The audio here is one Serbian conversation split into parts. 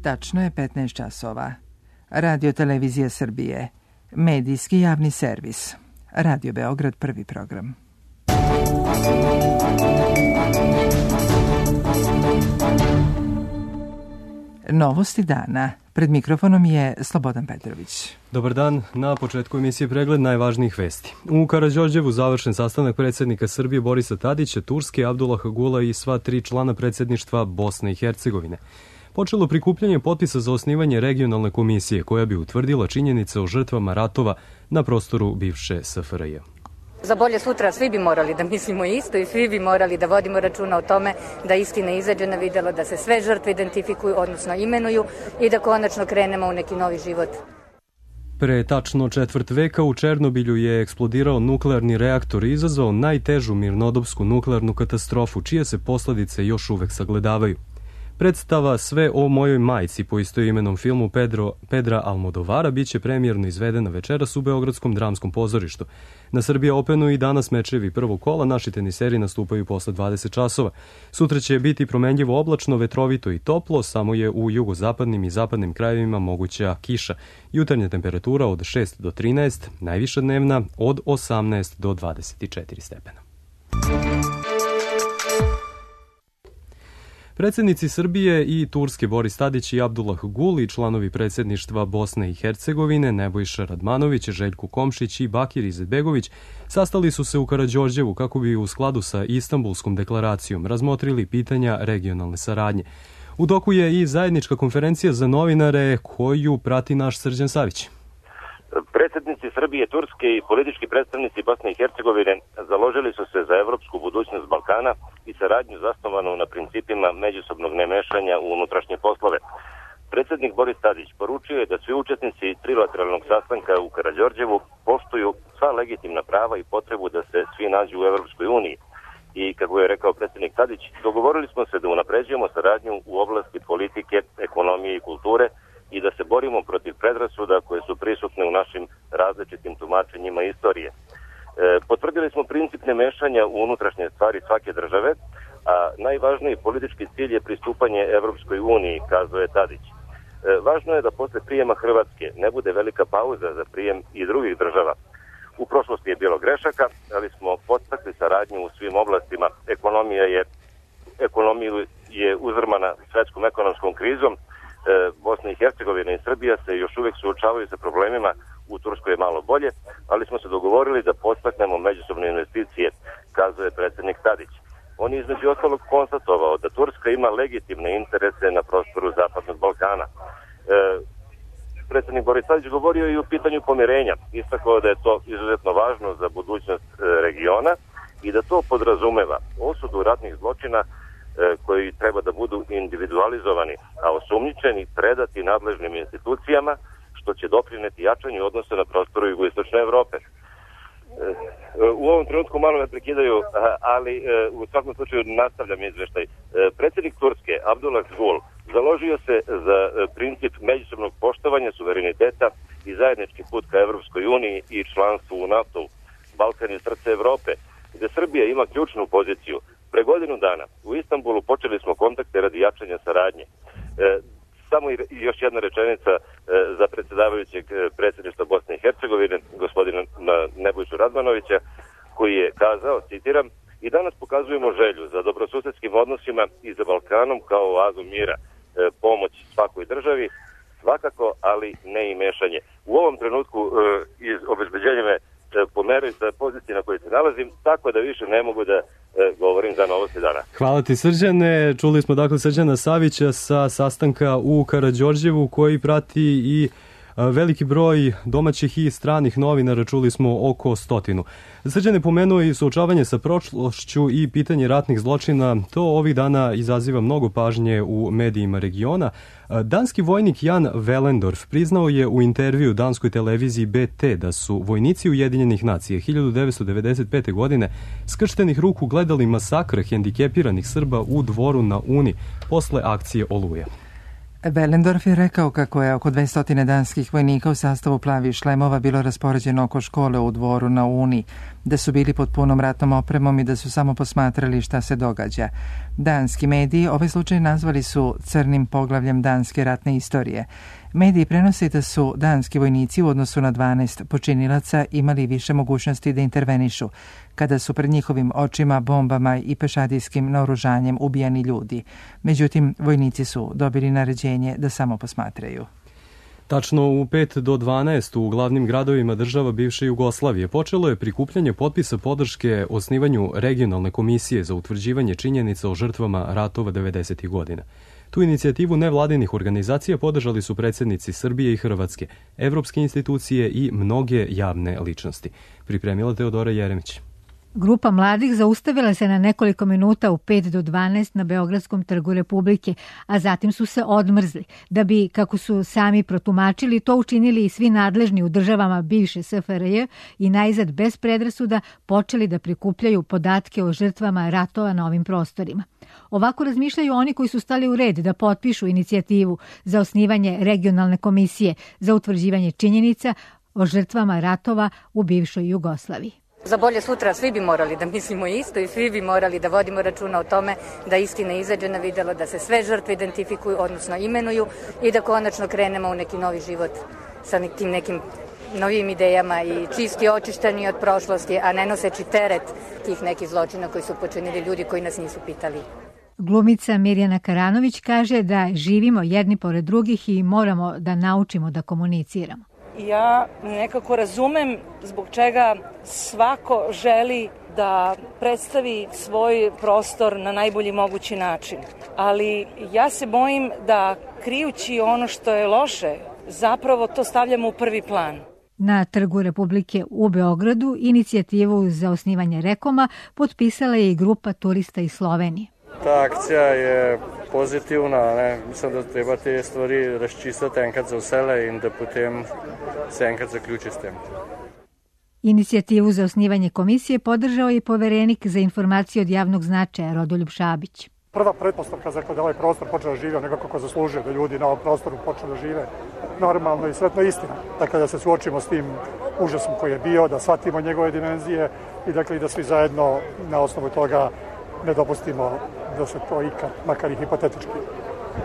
Tačno je 15 časova. Radio Televizija Srbije. Medijski javni servis. Radio Beograd, prvi program. Novosti dana. Pred mikrofonom je Slobodan Petrović. Dobar dan. Na početku emisije pregled najvažnijih vesti. U Karađorđevu završen sastanak predsjednika Srbije Borisa Tadića, Turske, Abdullaha Gula i sva 3 člana predsjedništva Bosne i Hercegovine. Počelo prikupljanje potpisa za osnivanje regionalne komisije koja bi utvrdila činjenice o žrtvama ratova na prostoru bivše SFRJ. Za bolje sutra svi bi morali da mislimo isto i svi bi morali da vodimo računa o tome da istina izađe na videlo, da se sve žrtve identifikuju, odnosno imenuju i da konačno krenemo u neki novi život. Pre tačno četvrt veka u Černobilju je eksplodirao nuklearni reaktor i izazvao najtežu mirnodopsku nuklearnu katastrofu, čije se posljedice još uvek sagledavaju. Predstava Sve o mojoj majci po istoimenom filmu Pedra Almodovara biće premijerno izvedena večeras u Beogradskom dramskom pozorištu. Na Srbija Openu i danas mečevi prvog kola, naši teniseri nastupaju posle 20 časova. Sutra će biti promenljivo oblačno, vetrovito i toplo, samo je u jugozapadnim i zapadnim krajevima moguća kiša. Jutarnja temperatura od 6 do 13, najviša dnevna od 18 do 24 stepena. Predsjednici Srbije i Turske Boris Tadić i Abdullah Gul i članovi predsjedništva Bosne i Hercegovine Nebojša Radmanović, Željko Komšić i Bakir Izetbegović sastali su se u Karađorđevu kako bi u skladu sa Istanbulskom deklaracijom razmotrili pitanja regionalne saradnje. U toku je i zajednička konferencija za novinare koju prati naš Srđan Savić. Predsjednici Srbije, Turske i politički predstavnici Bosne i Hercegovine založili su se za evropsku budućnost Balkana i saradnju zasnovanu na principima međusobnog nemešanja u unutrašnje poslove. Predsjednik Boris Tadić poručio je da svi učesnici trilateralnog sastanka u Karađorđevu poštuju sva legitimna prava i potrebu da se svi nađu u Evropskoj uniji. I, kako je rekao predsjednik Tadić, dogovorili smo se da unapređujemo saradnju u oblasti politike, ekonomije i kulture i da se borimo protiv predrasuda koje su prisutne u našim različitim tumačenjima istorije. Potvrdili smo princip nemešanja u unutrašnje stvari svake države, a najvažniji politički cilj je pristupanje Evropskoj uniji, kazao je Tadić. Važno je da posle prijema Hrvatske ne bude velika pauza za prijem i drugih država. U prošlosti je bilo grešaka, ali smo podstakli saradnju u svim oblastima. Ekonomija je uzrmana svetskom ekonomskom krizom. Bosna i Hercegovina i Srbija se još uvijek suočavaju sa problemima, u Turskoj je malo bolje, ali smo se dogovorili da podstaknemo međusobne investicije, kazao je predsjednik Tadić. On je između ostalog konstatovao da Turska ima legitimne interese na prostoru Zapadnog Balkana. Predsjednik Boris Tadić govorio i o pitanju pomirenja, istakao da je to izuzetno važno za budućnost regiona i da to podrazumeva osudu ratnih zločina koji treba da budu individualizovani, a osumnjičeni predati nadležnim institucijama, što će doprineti jačanju odnosa na prostoru jugoistočne Evrope. U ovom trenutku malo me prekidaju, ali u svakom slučaju nastavljam izveštaj. Predsjednik Turske, Abdullah Gul, založio se za princip međusobnog poštovanja suvereniteta i zajednički put ka Evropskoj uniji i članstvu u NATO. Balkan je srce Evrope, gde Srbija ima ključnu poziciju. Pre godinu dana u Istanbulu počeli smo kontakte radi jačanja saradnje. Samo još jedna rečenica za predsjedavajućeg predsjedništva Bosne i Hercegovine, gospodina Nebojšu Radmanovića, koji je kazao, citiram, i danas pokazujemo želju za dobrosusedskim odnosima i za Balkanom kao oazu mira, pomoć svakoj državi, svakako, ali ne i mešanje. U ovom trenutku iz obezbeđenja me pomeraju sa pozicije na kojoj se nalazim, tako da više ne mogu da govorim za novosti dana. Hvala ti, Srđane. Čuli smo dakle Srđana Savića sa sastanka u Karađorđevu koji prati i veliki broj domaćih i stranih novinara, čuli smo oko 100. Srđane pomenuo i suočavanje sa prošlošću i pitanje ratnih zločina. To ovih dana izaziva mnogo pažnje u medijima regiona. Danski vojnik Jan Velendorf priznao je u intervju danskoj televiziji BT da su vojnici Ujedinjenih nacija 1995. godine skrštenih ruku gledali masakr hendikepiranih Srba u Dvoru na Uni posle akcije Oluja. Velendorf je rekao kako je oko 200 danskih vojnika u sastavu plavih šlemova bilo raspoređeno oko škole u Dvoru na Uni. da su bili pod punom ratnom opremom i da su samo posmatrali šta se događa. Danski mediji ovaj slučaj nazvali su crnim poglavljem danske ratne istorije. Mediji prenose da su danski vojnici u odnosu na 12 počinilaca imali više mogućnosti da intervenišu, kada su pred njihovim očima bombama i pešadijskim naoružanjem ubijani ljudi. Međutim, vojnici su dobili naređenje da samo posmatraju. Tačno u 5 do 12 u glavnim gradovima država bivše Jugoslavije počelo je prikupljanje potpisa podrške osnivanju regionalne komisije za utvrđivanje činjenica o žrtvama ratova 90. godina. Tu inicijativu nevladinih organizacija podržali su predsjednici Srbije i Hrvatske, evropske institucije i mnoge javne ličnosti. Pripremila Teodora Jeremić. Grupa mladih zaustavila se na nekoliko minuta u 5 do 12 na Beogradskom trgu Republike, a zatim su se odmrzli, da bi, kako su sami protumačili, to učinili i svi nadležni u državama bivše SFRJ i najzad bez predrasuda počeli da prikupljaju podatke o žrtvama ratova na ovim prostorima. Ovako razmišljaju oni koji su stali u red da potpišu inicijativu za osnivanje regionalne komisije za utvrđivanje činjenica o žrtvama ratova u bivšoj Jugoslaviji. Za bolje sutra svi bi morali da mislimo isto i svi bi morali da vodimo računa o tome da istina izađe na videlo, da se sve žrtve identifikuju, odnosno imenuju i da konačno krenemo u neki novi život sa nekim novim idejama i čisti očišteni od prošlosti, a ne noseći teret tih nekih zločina koji su počinili ljudi koji nas nisu pitali. Glumica Mirjana Karanović kaže da živimo jedni pored drugih i moramo da naučimo da komuniciramo. Ja nekako razumem zbog čega svako želi da predstavi svoj prostor na najbolji mogući način. Ali ja se bojim da krijući ono što je loše, zapravo to stavljamo u prvi plan. Na Trgu Republike u Beogradu inicijativu za osnivanje Rekoma potpisala je i grupa turista iz Slovenije. Ta akcija je pozitivna, ne? Mislim, da treba te stvari razčistiti enkrat za vsele in da potem se enkrat zaključi s tem. Inicijativu za osnivanje komisije podržao je poverenik za informacije od javnog značaja Rodoljub Šabić. Prva pretpostavka za da ovaj prostor počne da žive onako kako zaslužuje, da ljudi na ovom prostoru počnu da žive normalno i sretno istina. Dakle, da se suočimo s tim užasom koji je bio, da shvatimo njegove dimenzije i dakle i da svi zajedno na osnovu toga ne dopustimo da se to ikad, makar i hipotetički,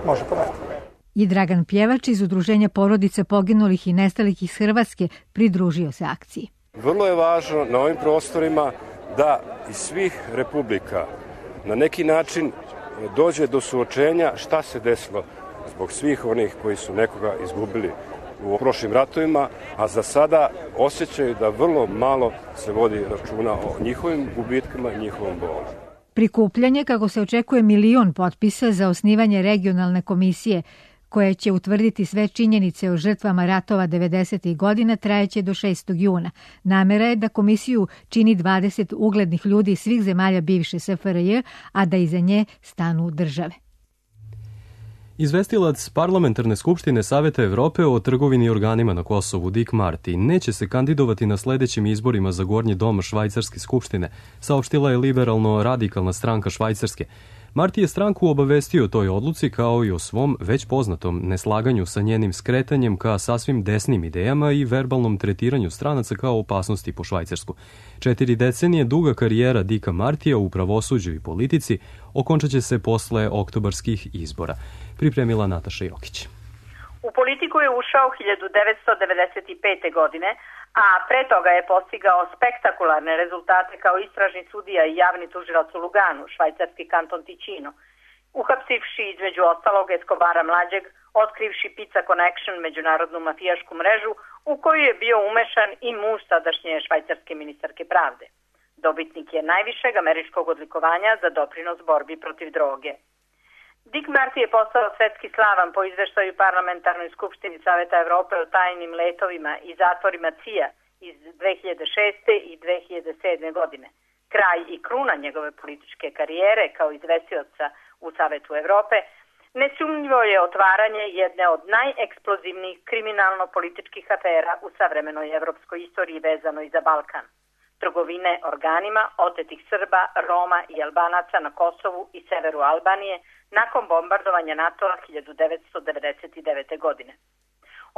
može poraditi. I Dragan Pjevač iz Udruženja porodice poginulih i nestalih iz Hrvatske pridružio se akciji. Vrlo je važno na ovim prostorima da iz svih republika na neki način dođe do suočenja šta se desilo zbog svih onih koji su nekoga izgubili u prošlim ratovima, a za sada osjećaju da vrlo malo se vodi računa o njihovim gubitkama i njihovom bolu. Prikupljanje, kako se očekuje, 1.000.000 potpisa za osnivanje regionalne komisije koja će utvrditi sve činjenice o žrtvama ratova 90. godina, trajeće do 6. juna. Namera je da komisiju čini 20 uglednih ljudi iz svih zemalja bivše SFRJ, a da iza nje stanu države. Izvestilac Parlamentarne skupštine Saveta Evrope o trgovini i organima na Kosovu, Dick Marty, neće se kandidovati na sledećim izborima za Gornji dom Švajcarske skupštine, saopštila je liberalno-radikalna stranka Švajcarske. Marty je stranku obavestio o toj odluci kao i o svom već poznatom neslaganju sa njenim skretanjem ka sasvim desnim idejama i verbalnom tretiranju stranaca kao opasnosti po Švajcarsku. 4 decenije duga karijera Dicka Martija u pravosuđu i politici okončat će se posle oktobarskih izbora. Pripremila Nataša Jokić. U politiku je ušao 1995. godine, a pre toga je postigao spektakularne rezultate kao istražni sudija i javni tužilac u Luganu, švajcarski kanton Ticino, uhapsivši između ostalog Escobara mlađeg, otkrivši Pizza Connection, međunarodnu mafijašku mrežu, u koju je bio umešan i muž sadašnje švajcarske ministarke pravde. Dobitnik je najvišeg američkog odlikovanja za doprinos borbi protiv droge. Dick Marty je postao svetski slavan po izveštaju Parlamentarnoj skupštini Saveta Evrope o tajnim letovima i zatvorima CIA iz 2006. i 2007. godine. Kraj i kruna njegove političke karijere kao izvestioca u Savetu Evrope nesumnjivo je otvaranje jedne od najeksplozivnijih kriminalno-političkih afera u savremenoj evropskoj istoriji vezanoj za Balkan. Trgovine organima otetih Srba, Roma i Albanaca na Kosovu i severu Albanije nakon bombardovanja NATO-a 1999. godine.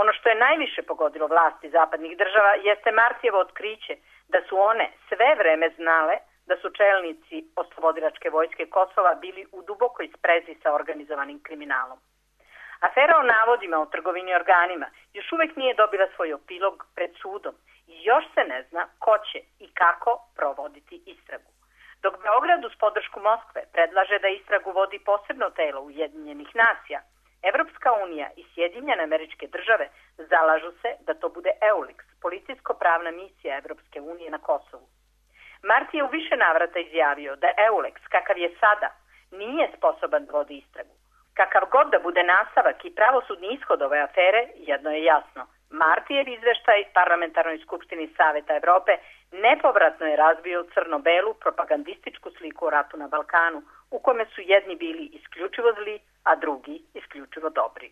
Ono što je najviše pogodilo vlasti zapadnih država jeste Martijevo otkriće da su one sve vreme znale da su čelnici oslobodilačke vojske Kosova bili u dubokoj sprezi sa organizovanim kriminalom. Afera o navodima o trgovini organima još uvek nije dobila svoj epilog pred sudom i još se ne zna ko će i kako provoditi istragu. Dok Beograd uz podršku Moskve predlaže da istragu vodi posebno telo Ujedinjenih nacija, Evropska unija i Sjedinjene Američke Države zalažu se da to bude EULEX, policijsko-pravna misija Evropske unije na Kosovu. Marti je u više navrata izjavio da EULEX, kakav je sada, nije sposoban da vodi istragu. Kakav god da bude nastavak i pravosudni ishod ove afere, jedno je jasno. Martijev izveštaj Parlamentarnoj skupštini Saveta Evrope nepovratno je razbio crno-belu propagandističku sliku o ratu na Balkanu, u kome su jedni bili isključivo zli, a drugi isključivo dobri.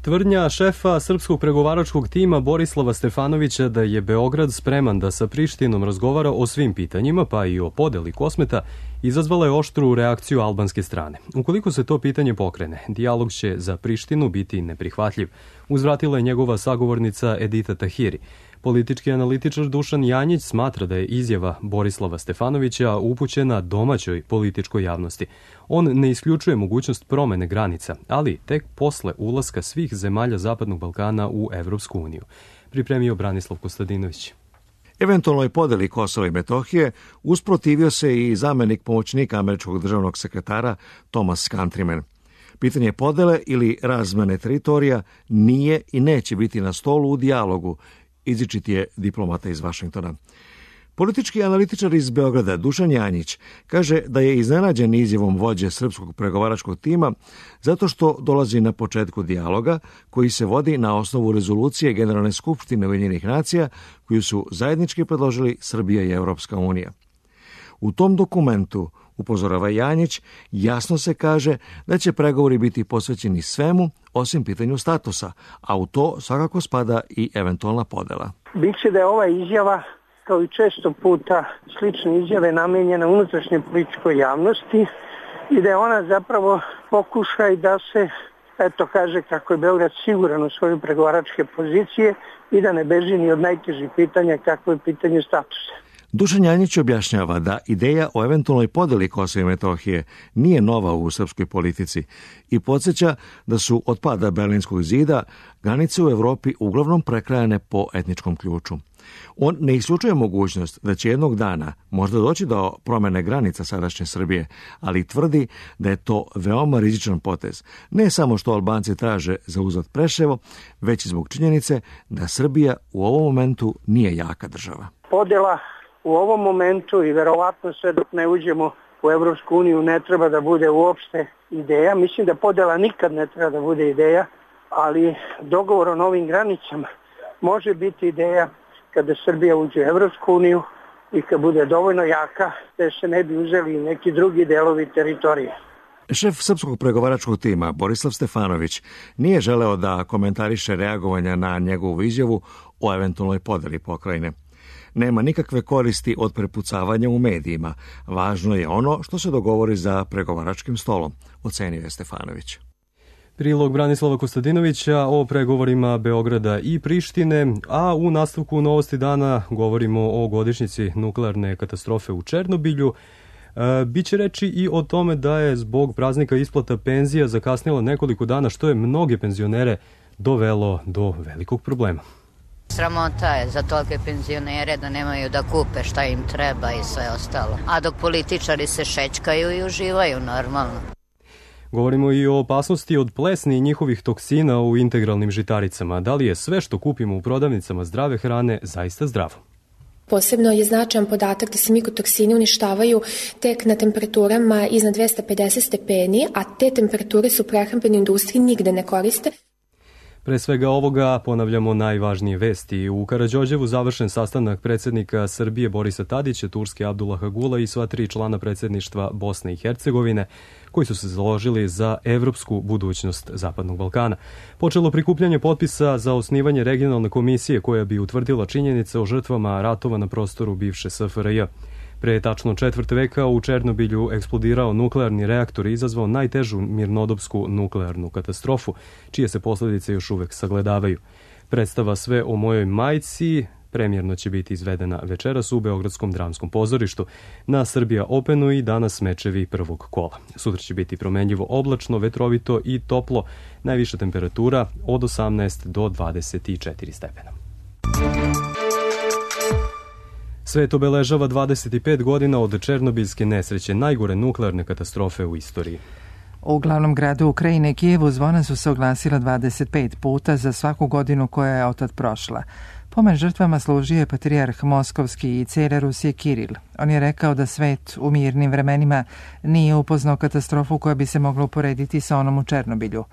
Tvrdnja šefa srpskog pregovaračkog tima Borislava Stefanovića da je Beograd spreman da sa Prištinom razgovara o svim pitanjima, pa i o podeli Kosmeta, izazvala je oštru reakciju albanske strane. Ukoliko se to pitanje pokrene, dijalog će za Prištinu biti neprihvatljiv, uzvratila je njegova sagovornica Edita Tahiri. Politički analitičar Dušan Janjić smatra da je izjava Borislava Stefanovića upućena domaćoj političkoj javnosti. On ne isključuje mogućnost promene granica, ali tek posle ulaska svih zemalja Zapadnog Balkana u Evropsku uniju. Pripremio Branislav Kostadinović. Eventualnoj podeli Kosova i Metohije usprotivio se i zamenik pomoćnika američkog državnog sekretara Thomas Countryman. Pitanje podele ili razmene teritorija nije i neće biti na stolu u dijalogu, izričit je diplomata iz Vašingtona. Politički analitičar iz Beograda Dušan Janjić kaže da je iznenađen izjavom vođe srpskog pregovaračkog tima zato što dolazi na početku dijaloga koji se vodi na osnovu rezolucije Generalne skupštine Ujedinjenih nacija koju su zajednički predložili Srbija i Evropska unija. U tom dokumentu, upozorava Janjić, jasno se kaže da će pregovori biti posvećeni svemu osim pitanju statusa, a u to svakako spada i eventualna podela. Biće da je ova izjava, kao i često puta slične izjave, namenjena unutrašnjoj političkoj javnosti i da je ona zapravo pokušaj da se kaže kako je Beograd siguran u svoje pregovaračke pozicije i da ne beži ni od najtežih pitanja kako je pitanje statusa. Dušan Janjić objašnjava da ideja o eventualnoj podeli Kosova i Metohije nije nova u srpskoj politici i podsjeća da su od pada Berlinskog zida granice u Evropi uglavnom prekrajane po etničkom ključu. On ne isključuje mogućnost da će jednog dana možda doći do promene granica sadašnje Srbije, ali tvrdi da je to veoma rizičan potez. Ne samo što Albanci traže za uzvrat Preševo, već i zbog činjenice da Srbija u ovom momentu nije jaka država. Podela u ovom momentu i verovatno sve dok ne uđemo u Evropsku uniju ne treba da bude uopšte ideja. Mislim da podela nikad ne treba da bude ideja, ali dogovor o novim granicama može biti ideja kada Srbija uđe u Evropsku uniju i kad bude dovoljno jaka da se ne bi uzeli neki drugi delovi teritorije. Šef srpskog pregovaračkog tima Borislav Stefanović nije želeo da komentariše reagovanja na njegovu izjavu o eventualnoj podeli pokrajine. Nema nikakve koristi od prepucavanja u medijima. Važno je ono što se dogovori za pregovaračkim stolom, ocenio je Stefanović. Prilog Branislava Kostadinovića o pregovorima Beograda i Prištine, a u nastavku Novosti dana govorimo o godišnjici nuklearne katastrofe u Černobilju. Biće reči i o tome da je zbog praznika isplata penzija zakasnila nekoliko dana, što je mnoge penzionere dovelo do velikog problema. Sramota je za tolike penzionere da nemaju da kupe šta im treba i sve ostalo. A dok političari se šećkaju i uživaju normalno. Govorimo i o opasnosti od plesni i njihovih toksina u integralnim žitaricama. Da li je sve što kupimo u prodavnicama zdrave hrane zaista zdravo? Posebno je značajan podatak da se mikotoksini uništavaju tek na temperaturama iznad 250 stepeni, a te temperature su u prehrambenoj industriji nigde ne koriste. Pre svega ovoga ponavljamo najvažnije vesti. U Karađorđevu završen sastanak predsjednika Srbije Borisa Tadića, Turske Abdullaha Gula i sva 3 člana predsjedništva Bosne i Hercegovine, koji su se založili za evropsku budućnost Zapadnog Balkana. Počelo prikupljanje potpisa za osnivanje regionalne komisije koja bi utvrdila činjenice o žrtvama ratova na prostoru bivše SFRJ. Pre tačno četvrt veka u Černobilju eksplodirao nuklearni reaktor i izazvao najtežu mirnodopsku nuklearnu katastrofu, čije se posljedice još uvek sagledavaju. Predstava Sve o mojoj majci Premijerno će biti izvedena večeras u Beogradskom dramskom pozorištu, na Srbija Openu i danas mečevi prvog kola. Sutra će biti promenljivo oblačno, vetrovito i toplo, najviša temperatura od 18 do 24 stepena. Svet obeležava 25 godina od Černobilske nesreće, najgore nuklearne katastrofe u istoriji. U glavnom gradu Ukrajine, Kijevu, zvona su se oglasila 25 puta za svaku godinu koja je otad prošla. Pomen žrtvama služio je patrijarh Moskovski i car Rusije Kiril. On je rekao da svet u mirnim vremenima nije upoznao katastrofu koja bi se mogla uporediti sa onom u Černobilju.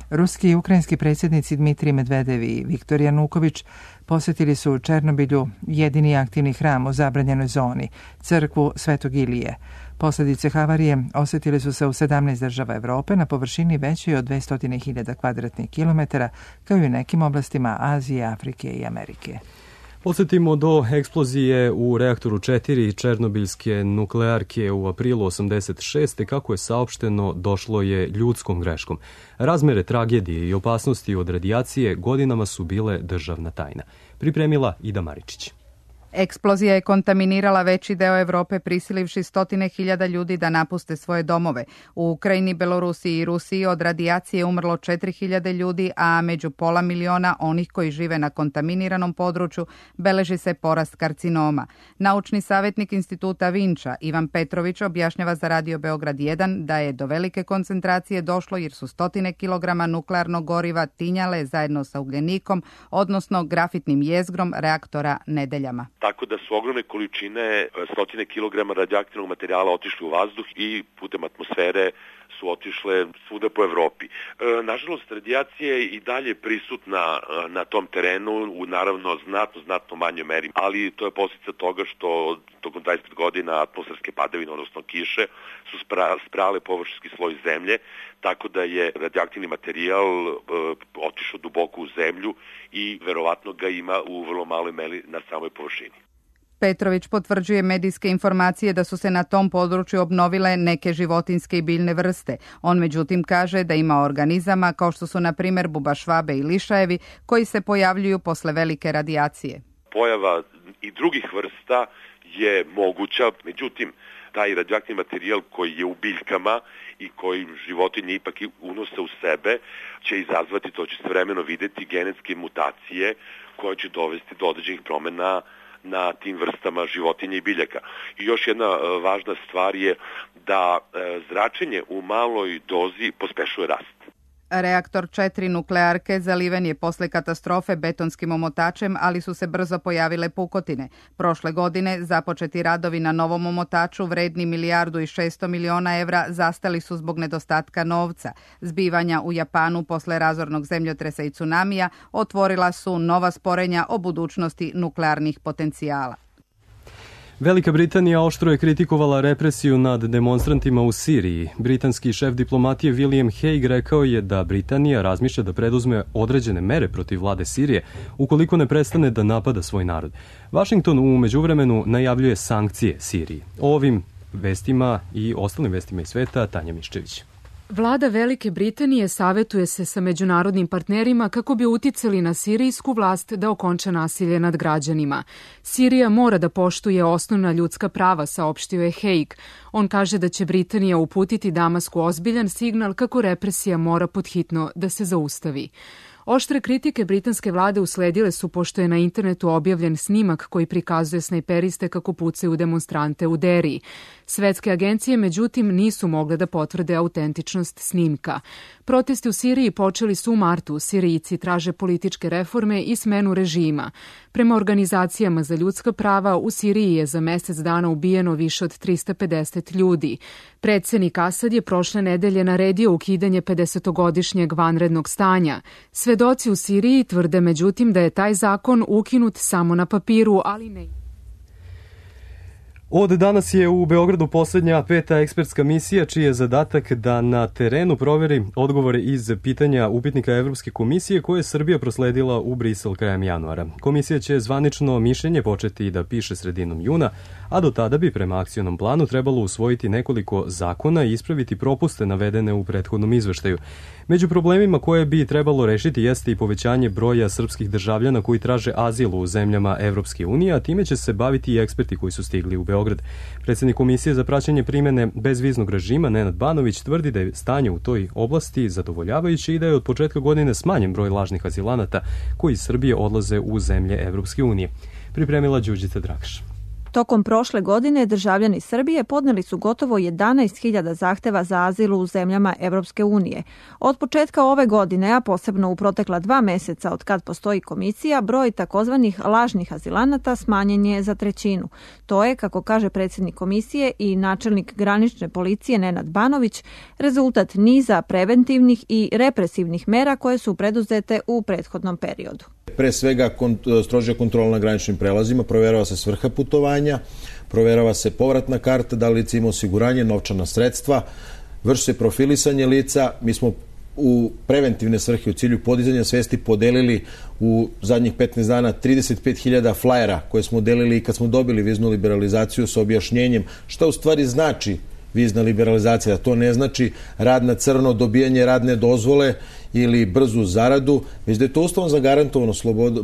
Ruski i ukrajinski predsjednici Dmitrij Medvedev i Viktor Januković posjetili su u Černobilju jedini aktivni hram u zabranjenoj zoni, crkvu Svetog Ilije. Posljedice havarije osjetili su se u 17 država Evrope na površini većoj od 200.000 kvadratnih kilometara, kao i u nekim oblastima Azije, Afrike i Amerike. Podsjetimo do eksplozije u reaktoru 4 Černobilske nuklearke u aprilu 86. Kako je saopšteno, došlo je ljudskom greškom. Razmere tragedije i opasnosti od radijacije godinama su bile državna tajna. Pripremila Ida Maričić. Eksplozija je kontaminirala veći deo Evrope, prisilivši 100.000 ljudi da napuste svoje domove. U Ukrajini, Belorusiji i Rusiji od radijacije je umrlo 4.000 ljudi, a među 500.000 onih koji žive na kontaminiranom području beleži se porast karcinoma. Naučni savjetnik instituta Vinča Ivan Petrović objašnjava za Radio Beograd 1 da je do velike koncentracije došlo jer su 100 kilograma nuklearnog goriva tinjale zajedno sa ugljenikom, odnosno grafitnim jezgrom reaktora nedeljama. Tako da su ogromne količine 100 kilograma radioaktivnog materijala otišli u vazduh i putem atmosfere su otišle svuda po Evropi. Nažalost, radijacija je i dalje prisutna na tom terenu u naravno znatno manjoj meri, ali to je posljedica toga što tokom 25 godina atmosferske padavine, odnosno kiše, su sprale površinski sloj zemlje, tako da je radioaktivni materijal otišao duboko u zemlju i verovatno ga ima u vrlo maloj meri na samoj površini. Petrović potvrđuje medijske informacije da su se na tom području obnovile neke životinjske i biljne vrste. On međutim kaže da ima organizama kao što su na primjer bubašvabe i lišajevi koji se pojavljuju posle velike radijacije. Pojava i drugih vrsta je moguća, međutim taj radioaktivni materijal koji je u biljkama i koji životinje ipak unose u sebe će izazvati, to će se vremeno videti, genetske mutacije koje će dovesti do određenih promjena na tim vrstama životinja i biljaka. I još jedna važna stvar je da zračenje u maloj dozi pospešuje rast. Reaktor 4 nuklearke zaliven je posle katastrofe betonskim omotačem, ali su se brzo pojavile pukotine. Prošle godine započeti radovi na novom omotaču vredni 1,6 milijardi evra zastali su zbog nedostatka novca. Zbivanja u Japanu posle razornog zemljotresa i tsunamija otvorila su nova sporenja o budućnosti nuklearnih potencijala. Velika Britanija oštro je kritikovala represiju nad demonstrantima u Siriji. Britanski šef diplomatije William Hague rekao je da Britanija razmišlja da preduzme određene mere protiv vlade Sirije ukoliko ne prestane da napada svoj narod. Washington u međuvremenu najavljuje sankcije Siriji. O ovim vestima i ostalim vestima iz sveta Tanja Miščević. Vlada Velike Britanije savetuje se sa međunarodnim partnerima kako bi uticali na sirijsku vlast da okonča nasilje nad građanima. Sirija mora da poštuje osnovna ljudska prava, saopštio je Hague. On kaže da će Britanija uputiti Damasku ozbiljan signal kako represija mora podhitno da se zaustavi. Oštre kritike britanske vlade usledile su pošto je na internetu objavljen snimak koji prikazuje snajperiste kako pucaju demonstrante u Deriji. Svetske agencije, međutim, nisu mogle da potvrde autentičnost snimka. Protesti u Siriji počeli su u martu. Sirijci traže političke reforme i smenu režima. Prema organizacijama za ljudska prava, u Siriji je za mesec dana ubijeno više od 350 ljudi. Predsednik Asad je prošle nedelje naredio ukidanje 50-godišnjeg vanrednog stanja. Svedoci u Siriji tvrde međutim da je taj zakon ukinut samo na papiru, ali ne. Od danas je u Beogradu posljednja 5. ekspertska misija čiji je zadatak da na terenu proveri odgovore iz pitanja upitnika Evropske komisije koje je Srbija prosledila u Brisel krajem januara. Komisija će zvanično mišljenje početi da piše sredinom juna, a do tada bi prema akcionom planu trebalo usvojiti nekoliko zakona i ispraviti propuste navedene u prethodnom izveštaju. Među problemima koje bi trebalo rešiti jeste i povećanje broja srpskih državljana koji traže azil u zemljama Evropske unije, a time će se baviti i eksperti koji su stigli u Beograd. Predsjednik Komisije za praćenje primjene bezviznog režima Nenad Banović tvrdi da je stanje u toj oblasti zadovoljavajuće i da je od početka godine smanjen broj lažnih azilanata koji iz Srbije odlaze u zemlje Evropske unije. Pripremila Đurđica Dragš. Tokom prošle godine državljani Srbije podneli su gotovo 11.000 zahteva za azil u zemljama Evropske unije. Od početka ove godine, a posebno u protekla 2 meseca od kad postoji komisija, broj takozvanih lažnih azilanata smanjen je za 1/3. To je, kako kaže predsjednik komisije i načelnik granične policije Nenad Banović, rezultat niza preventivnih i represivnih mera koje su preduzete u prethodnom periodu. Pre svega strožja kontrola na graničnim prelazima, proverava se svrha putovanja, proverava se povratna karta, da li lice ima osiguranje, novčana sredstva, vrši se profilisanje lica. Mi smo u preventivne svrhe u cilju podizanja svesti podelili u zadnjih 15 dana 35.000 flajera koje smo delili i kad smo dobili viznu liberalizaciju sa objašnjenjem šta u stvari znači vizna liberalizacija. To ne znači rad na crno, dobijanje radne dozvole ili brzu zaradu, već da je to ustavno zagarantovano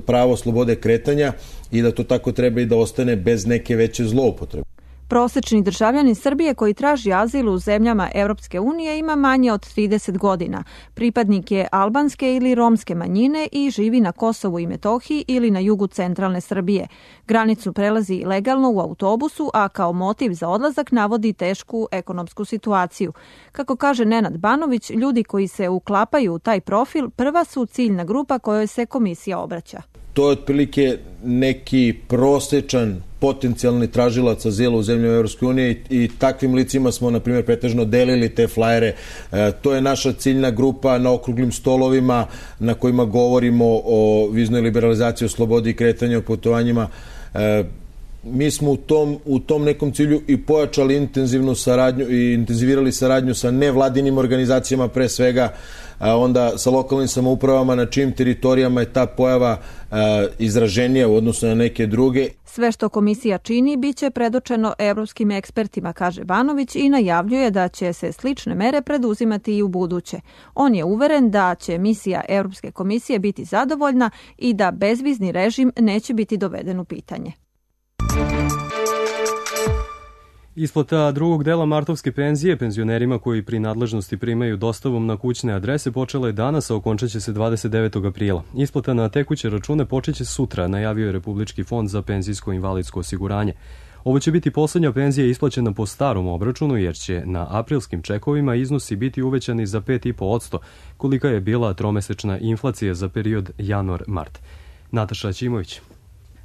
pravo slobode kretanja i da to tako treba i da ostane bez neke veće zloupotrebe. Prosečni državljanin Srbije koji traži azil u zemljama Evropske unije ima manje od 30 godina. Pripadnik je albanske ili romske manjine i živi na Kosovu i Metohiji ili na jugu centralne Srbije. Granicu prelazi legalno u autobusu, a kao motiv za odlazak navodi tešku ekonomsku situaciju. Kako kaže Nenad Banović, ljudi koji se uklapaju u taj profil prva su ciljna grupa kojoj se komisija obraća. To je otprilike neki prosečan potencijalni tražilac azila u zemljama Evropske unije i takvim licima smo, na primjer, pretežno delili te flajere. To je naša ciljna grupa na okruglim stolovima na kojima govorimo o viznoj liberalizaciji, o slobodi i kretanju, o putovanjima. Mi smo u tom nekom cilju i pojačali intenzivnu saradnju i intenzivirali saradnju sa nevladinim organizacijama, pre svega, onda sa lokalnim samoupravama na čijim teritorijama je ta pojava izraženija u odnosu na neke druge. Sve što komisija čini biće predočeno evropskim ekspertima, kaže Banović, i najavljuje da će se slične mere preduzimati i u buduće. On je uveren da će misija Evropske komisije biti zadovoljna i da bezvizni režim neće biti doveden u pitanje. Isplata drugog dela martovske penzije penzionerima koji pri nadležnosti primaju dostavom na kućne adrese počela je danas, a okončaće se 29. aprila. Isplata na tekuće račune počeće sutra, najavio je Republički fond za penzijsko i invalidsko osiguranje. Ovo će biti poslednja penzija isplaćena po starom obračunu, jer će na aprilskim čekovima iznosi biti uvećani za 5,5%, kolika je bila tromesečna inflacija za period januar-mart. Nataša Ćimović.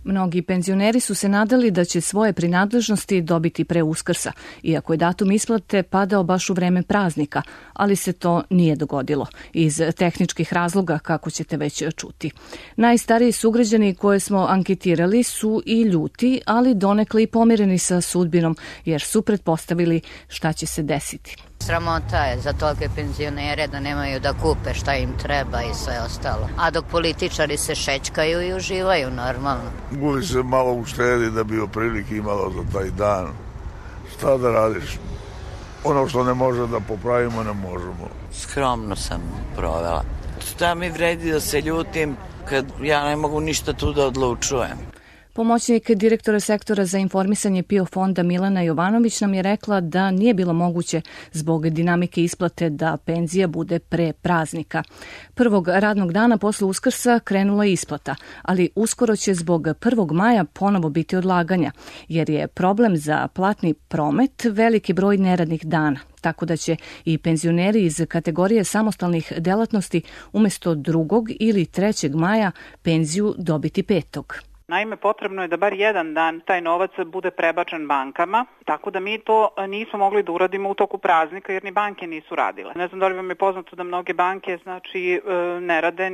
Mnogi penzioneri su se nadali da će svoje prinadležnosti dobiti pre Uskrsa, iako je datum isplate padao baš u vreme praznika, ali se to nije dogodilo, iz tehničkih razloga, kako ćete već čuti. Najstariji sugrađani koje smo anketirali su i ljuti, ali donekle i pomireni sa sudbinom, jer su pretpostavili šta će se desiti. Sramota je za tolike penzionere da nemaju da kupe šta im treba i sve ostalo. A dok političari se šećkaju i uživaju normalno. Uvijek se malo uštedi da bi oprilike imalo za taj dan. Šta da radiš? Ono što ne može da popravimo, ne možemo. Skromno sam provela. Šta mi vredi da se ljutim kad ja ne mogu ništa tu da odlučujem? Pomoćnik direktora sektora za informisanje PIO fonda Milena Jovanović nam je rekla da nije bilo moguće zbog dinamike isplate da penzija bude pre praznika. Prvog radnog dana posle Uskrsa krenula je isplata, ali uskoro će zbog 1. maja ponovo biti odlaganja, jer je problem za platni promet veliki broj neradnih dana. Tako da će i penzioneri iz kategorije samostalnih delatnosti umesto 2. ili 3. maja penziju dobiti 5. Naime, potrebno je da bar jedan dan taj novac bude prebačen bankama, tako da mi to nismo mogli da uradimo u toku praznika jer ni banke nisu radile. Ne znam da li vam je poznato da mnoge banke ne rade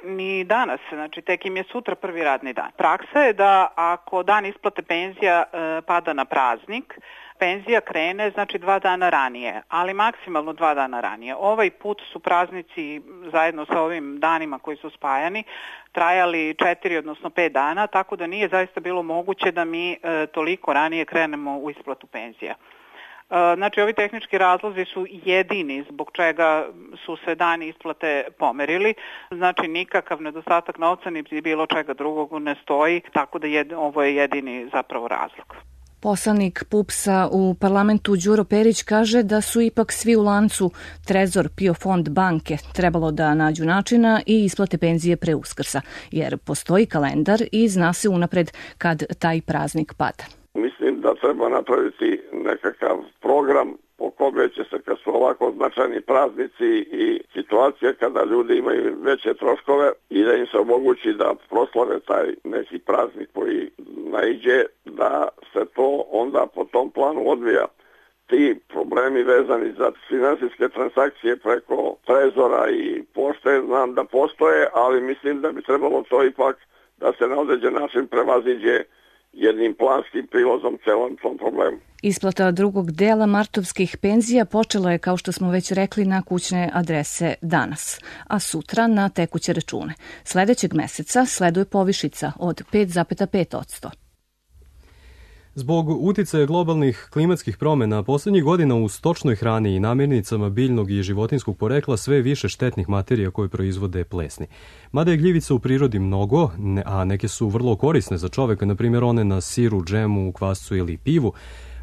ni danas, tek im je sutra prvi radni dan. Praksa je da ako dan isplate penzija pada na praznik, penzija krene 2 dana ranije, ali maksimalno 2 dana ranije. Ovaj put su praznici zajedno sa ovim danima koji su spajani trajali 4 odnosno 5 dana, tako da nije zaista bilo moguće da mi toliko ranije krenemo u isplatu penzija. Ovi tehnički razlozi su jedini zbog čega su se dani isplate pomerili. Nikakav nedostatak novca ni bilo čega drugog ne stoji, tako da ovo je jedini zapravo razlog. Poslanik PUPS-a u parlamentu Đuro Perić kaže da su ipak svi u lancu Trezor, PIO fond, banke trebalo da nađu načina i isplate penzije pre Uskrsa, jer postoji kalendar i zna se unapred kad taj praznik pada. Mislim da treba napraviti nekakav program po kome će se, kad su ovako značajni praznici i situacije kada ljudi imaju veće troškove, i da im se omogući da proslave taj neki praznik koji naiđe, da se to onda po tom planu odvija. Ti problemi vezani za finansijske transakcije preko Trezora i pošte znam da postoje, ali mislim da bi trebalo to ipak da se na određen način prevaziđe jednim planskim prilozom celom tom problemu. Isplata drugog dela martovskih penzija počela je, kao što smo već rekli, na kućne adrese danas, a sutra na tekuće račune. Sledećeg meseca sleduje povišica od 5,5%. Zbog uticaja globalnih klimatskih promjena, poslednjih godina u stočnoj hrani i namirnicama biljnog i životinskog porekla sve više štetnih materija koje proizvode plesni. Mada je gljivica u prirodi mnogo, a neke su vrlo korisne za čoveka, na primjer one na siru, džemu, kvascu ili pivu,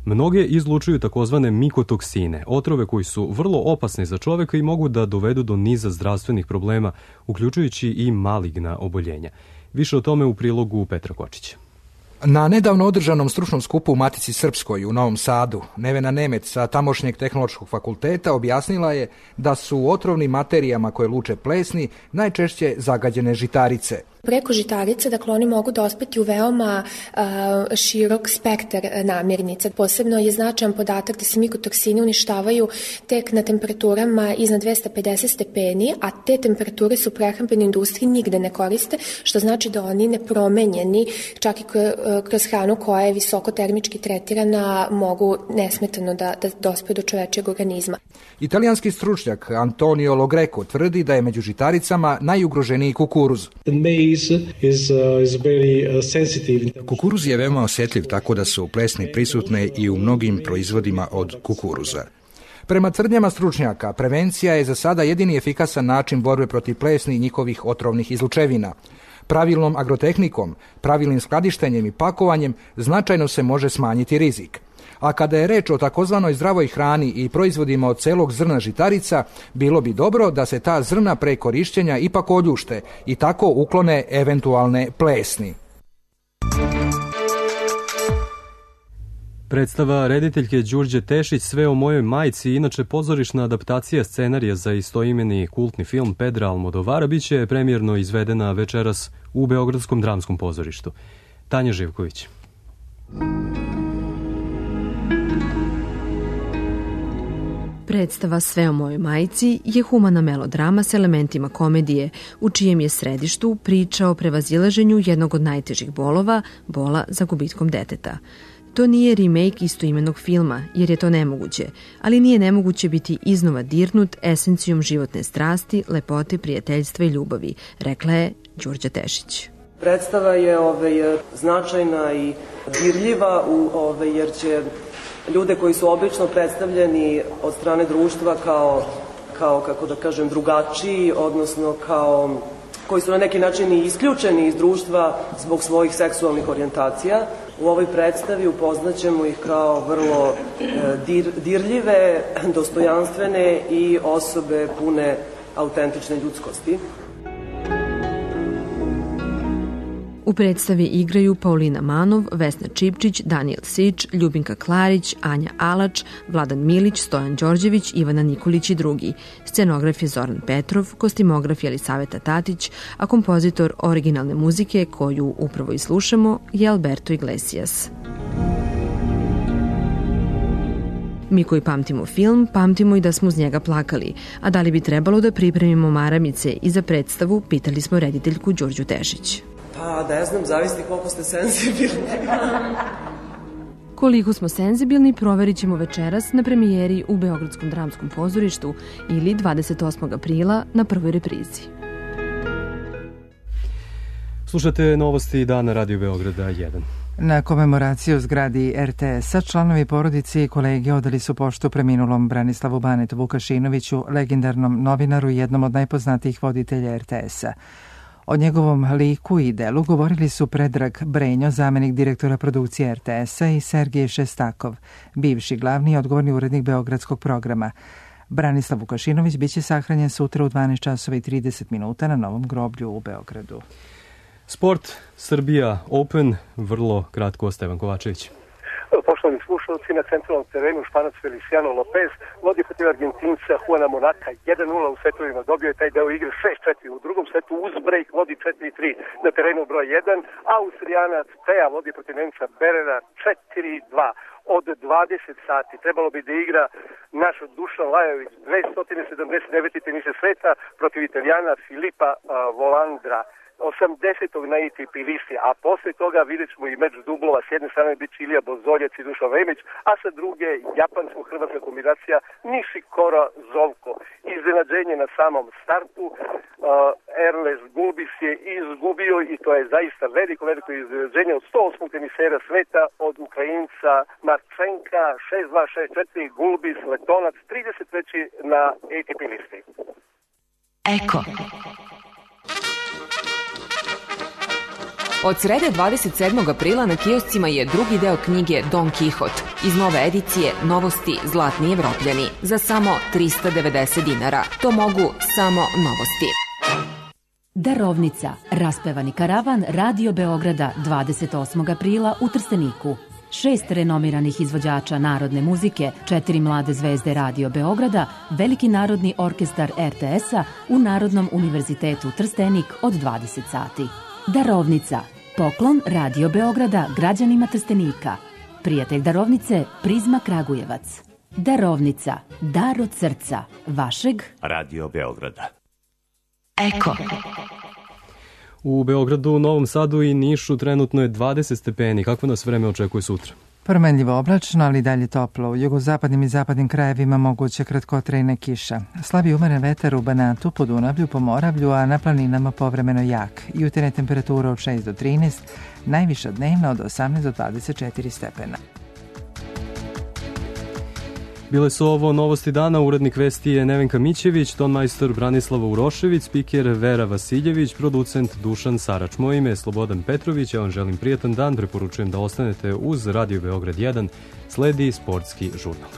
mnoge izlučuju takozvane mikotoksine, otrove koji su vrlo opasni za čoveka i mogu da dovedu do niza zdravstvenih problema, uključujući i maligna oboljenja. Više o tome u prilogu Petra Kočića. Na nedavno održanom stručnom skupu u Matici Srpskoj u Novom Sadu, Nevena Nemec sa tamošnjeg tehnološkog fakulteta objasnila je da su u otrovnim materijama koje luče plesni najčešće zagađene žitarice. Preko žitarice, dakle, oni mogu dospeti u veoma širok spektar namirnica. Posebno je značajan podatak da se mikotoksini uništavaju tek na temperaturama iznad 250 stepeni, a te temperature su u prehrambenoj industriji nigde ne koriste, što znači da oni nepromenjeni, čak i kroz hranu koja je visoko termički tretirana, mogu nesmetano da dospe do čovečijeg organizma. Italijanski stručnjak Antonio Logreco tvrdi da je među žitaricama najugroženiji kukuruz. Kukuruz je veoma osjetljiv, tako da su plesni prisutne i u mnogim proizvodima od kukuruza. Prema tvrdnjama stručnjaka, prevencija je za sada jedini efikasan način borbe protiv plesni i njihovih otrovnih izlučevina. Pravilnom agrotehnikom, pravilnim skladištenjem i pakovanjem značajno se može smanjiti rizik. A kada je reč o takozvanoj zdravoj hrani i proizvodima od celog zrna žitarica, bilo bi dobro da se ta zrna pre korišćenja ipak oljušte i tako uklone eventualne plesni. Predstava rediteljke Đurđe Tešić Sve o mojoj majci, inače pozorišna adaptacija scenarija za istoimeni kultni film Pedra Almodovara, biće premijerno izvedena večeras u Beogradskom dramskom pozorištu. Tanja Živković. Predstava Sve o mojoj majci je humana melodrama s elementima komedije, u čijem je središtu priča o prevazilaženju jednog od najtežih bolova, bola za gubitkom deteta. To nije remake istoimenog filma, jer je to nemoguće, ali nije nemoguće biti iznova dirnut esencijom životne strasti, lepote, prijateljstva i ljubavi, rekla je Đurđa Tešić. Predstava je značajna i dirljiva, jer će ljude koji su obično predstavljeni od strane društva kao kako da kažem, drugačiji, odnosno koji su na neki način i isključeni iz društva zbog svojih seksualnih orijentacija. U ovoj predstavi upoznaćemo ih kao vrlo dirljive, dostojanstvene i osobe pune autentične ljudskosti. U predstavi igraju Paulina Manov, Vesna Čipčić, Danijel Sić, Ljubinka Klarić, Anja Alač, Vladan Milić, Stojan Đorđević, Ivana Nikolić i drugi. Scenograf je Zoran Petrov, kostimograf je Elisaveta Tatić, a kompozitor originalne muzike, koju upravo i slušamo, je Alberto Iglesias. Mi koji pamtimo film, pamtimo i da smo uz njega plakali, a da li bi trebalo da pripremimo maramice i za predstavu, pitali smo rediteljku Đurđu Tešić. Pa ne znam, zavisi koliko ste senzibilni. Koliko smo senzibilni proverit ćemo večeras na premijeri u Beogradskom dramskom pozorištu ili 28. aprila na prvoj reprizi. Slušate novosti dana Radio Beograda 1. Na komemoraciju u zgradi RTS-a članovi porodice i kolege odali su poštu preminulom Branislavu Banetu Vukašinoviću, legendarnom novinaru i jednom od najpoznatijih voditelja RTS-a. O njegovom liku i delu govorili su Predrag Brenjo, zamenik direktora produkcije RTS-a, i Sergej Šestakov, bivši glavni i odgovorni urednik Beogradskog programa. Branislav Vukašinović biće sahranjen sutra u 12 časova i 30 minuta na Novom groblju u Beogradu. Sport, Srbija Open, vrlo kratko, Stevan Kovačević. Poštovani slušalci, na centralnom terenu Španac Feliciano Lopez vodi protiv Argentinca Juana Monaka 1-0 u setovima, dobio je taj deo igre 6-4, u drugom setu uz break vodi 4-3 na terenu broj 1, Austrijanac Teja vodi protiv Nemca Berera 4-2. Od 20 sati trebalo bi da igra naš Dušan Lajović, 279. tenisa sveta protiv Italijana Filipa Volandra, 80. na ATP listi, a posle toga vidjet ćemo i meč dublova. S jedne strane bit će Ilija Bozoljac i Dušan Vemić, a sa druge japansko-hrvatska kombinacija Nishikora Zovko. Iznenađenje na samom startu, Erles Gulbis je izgubio i to je zaista veliko iznenađenje od 108. tenisera sveta od Ukrajinca Marčenka 6-2, 6-4, Gulbis, Letonac 33. na ATP listi. Eko. Od srede 27. aprila na kioscima je drugi deo knjige Don Kihot. Iz nove edicije Novosti Zlatni Evropljani za samo 390 dinara. To mogu samo Novosti. Darovnica. Raspevani karavan Radio Beograda 28. aprila u Trsteniku. 6 renomiranih izvođača narodne muzike, 4 mlade zvezde Radio Beograda, Veliki narodni orkestar RTS-a u Narodnom univerzitetu Trstenik od 20 sati. Darovnica. Poklon Radio Beograda građanima Trstenika. Prijatelj darovnice Prizma Kragujevac. Darovnica. Dar od srca. Vašeg Radio Beograda. Eko. U Beogradu, Novom Sadu i Nišu trenutno je 20 stepeni. Kakvo nas vreme očekuje sutra? Promenljivo oblačno, ali dalje toplo. U jugozapadnim i zapadnim krajevima moguće kratkotrajna kiša. Slabi umeren vetar u Banatu, Podunavlju, Pomoravlju, a na planinama povremeno jak. Jutarnje temperatura od 6 do 13, najviša dnevna od 18 do 24 stepena. Bile su ovo novosti dana, urednik vesti je Nevenka Mićević, tonmajstor Branislava Urošević, spiker Vera Vasiljević, producent Dušan Sarač. Moje ime je Slobodan Petrović, ja vam želim prijatan dan, preporučujem da ostanete uz Radio Beograd 1, sledi sportski žurnal.